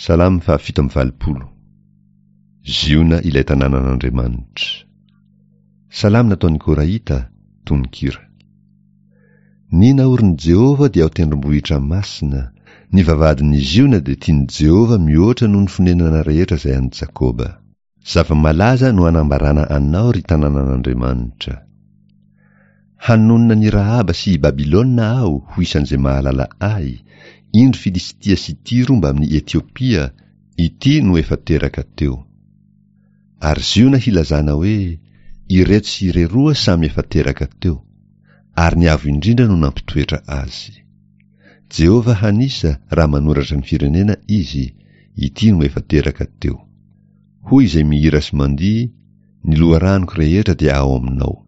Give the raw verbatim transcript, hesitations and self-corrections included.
Salamo fahafito amby valopolo. Ziona ilay tanànan'Andriamanitra. Salamo nataon'ny Korahita, tononkira. Ny naorin'i Jehovah dia ao tendrombohitra masina, ny vavahadin'i Ziona dia tian'i Jehovah mihoatra noho ny fonenana rehetra izay an'i Jakoba. Zava-malaza no anambarana anao, ry tanànan'Andriamanitra. Hanonona an'i Rahaba sy i Babylona aho ho isan'izay mahalala ahy, indro Filistia sy Tyro mbamin'i Etiopia, ity no efa teraka teo. Ary Ziona hilazana hoe, ireto sy ireroa samy efa teraka teo, ary ny Avo Indrindra no nampitoetra azy. Jehovah hanisa raha manoratra ny firenena izy, ity no efa teraka teo. Hoy izay mihira sy mandihy, ny loharanoko rehetra dia ao aminao.